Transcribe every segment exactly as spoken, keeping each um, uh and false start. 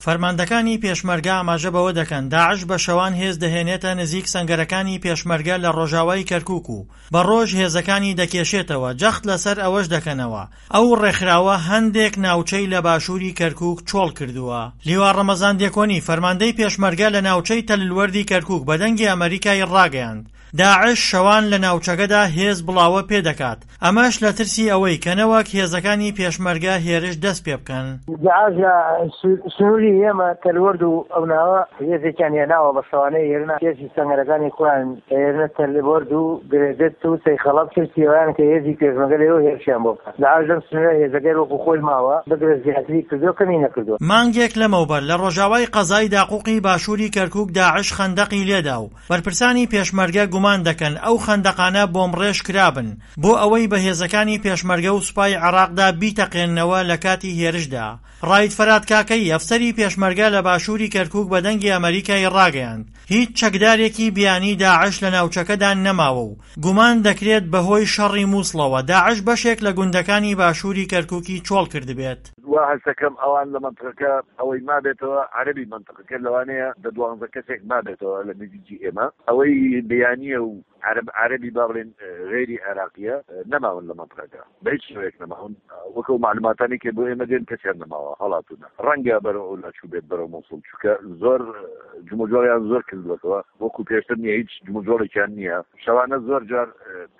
فەرماندەکانی پێشمەرگە ئاماژە بەوە دەکەن داعش بە شەوان هێز دەهێنێتە نزیک سەنگەرەکانی پێشمەرگە لە ڕۆژاوای کەرکوک و بە ڕۆژ هێزەکانی دەکێشێتەوە، جەخت لەسەر ئەوەش دەکەنەوە ئەو ڕێکخراوە هەندێک ناوچەی لە باشووری کەرکوک چۆڵ کردووە. لیوا ڕەمەزان دێکۆنی فەرماندەی پێشمەرگە لە ناوچەی تەللوەردی کەرکوک بە دەنگی ئەمەریکای ڕاگەیاند داعش شەوان لە ناوچەکەدا هێز بڵاوە پێدەکات، ئەمەش لە ترسی ئەوەی کە نەوەک هێزەکانی پێشمەرگە هێرش دەست پێ بکەن. داعش لە سنووری ئێمە تەلوەرد و ئەو ناوە هێزێکیان هێناوە بە شەوانەی هێرنا هێزی سەنگەرەکانی خۆیان هێرنە تەلوەرد و گرێدت و سەیخەڵەت، ترسی ئەویان کە هێزی پێشمەرگە لەوێ هێرشیان بۆ بکات. داعش لەم سنوورە هێزەکەی وەکو خۆی ماوە، بگرە زیاتری کردووە کەمی نەکردووە. مانگێک لەمەوبەر لە ڕۆژاوای قەزای داقوقی باشووری کەرکوک داعش خەندەقی لێدا و بەرپرسانی پێشمەرگە گومان دەکەن ئەو خەندەقانە بۆمبڕێژ کرابن بۆ ئەوەی بە هێزەکانی پێشمەرگە و سوپای عێراقدا بیتەقێننەوە لە کاتی هێرشدا. ڕایت فەرات کاکەیی ئەفسەری پێشمەرگە لە باشووری کەرکوک بە دەنگی ئەمەریکای ڕاگەیاند هیچ چەکدارێکی بیانی داعش لە ناوچەکەدا نەماوە و گومان دەکرێت بەهۆی شەڕی مووسڵەوە داعش بەشێک لە گوندەکانی باشووری کەرکوکی چۆڵ کردبێت. وا هەستەکەم ئەوان لە مەنتقەکە ئەوەی مابێتەوە عەرەبی مەنتقەکە لەوانەیە دە دوانزە کەسێک مابێتەوە لە نزیکی ئێمە، ئەوەی بیانیە و عەرەب عەرەبی با بڵێن غەیری عێراقیە نەماون لە مەنتقەکە بە هیچ شێوەیەک نەماون، وەک ئەو مەعلوماتانەی کە بۆ ئێمە دێن کەسیان نەماوە هەڵاتوونە، ڕەنگە بەرەو ئەولا چووبێت بەرەو موسڵ، چونکە زۆر جموجۆڵیان زۆر کردووەتەوە وەکو پێشتر نییە، هیچ جموجۆڵێکیان نییە، شەوانە زۆر جار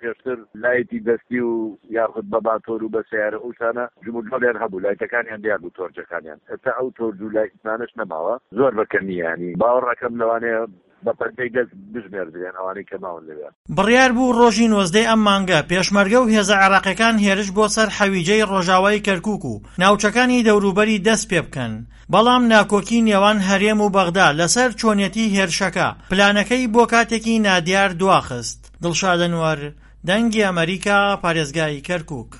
پێشتر لایتی دەستی و یاخود بە ماتۆر و بە سەیارە ئەو شتانە جموجۆڵیان هەبوو، لایتەکانیان دیار بوو تۆرجەکانیان، ئێستا ئەو تۆرج و لایتانەش نەماوە زۆر بە کەمی، یانی باوەڕ ئەکەم لەوانەیە بە پەنجەی دەست بژمێردرێن ئەوانەی کە ماون لەوێ. بڕیار بوو ڕۆژی نۆزدەی ئەم مانگە پێشمەرگە و هێزە عێراقیەکان هێرش بۆ سەر حەویجەی ڕۆژاوای کەرکوک و ناوچەکانی دەوروبەری دەست پێ بکەن، بەڵام ناکۆکی نێوان هەرێم و بەغدا لەسەر چۆنیەتی هێرشەکە پلانەکەی بۆ کاتێکی نادیار دواخست. دڵشاد ئەنوەر، دەنگی ئەمەریکا، پارێزگای کەرکوک.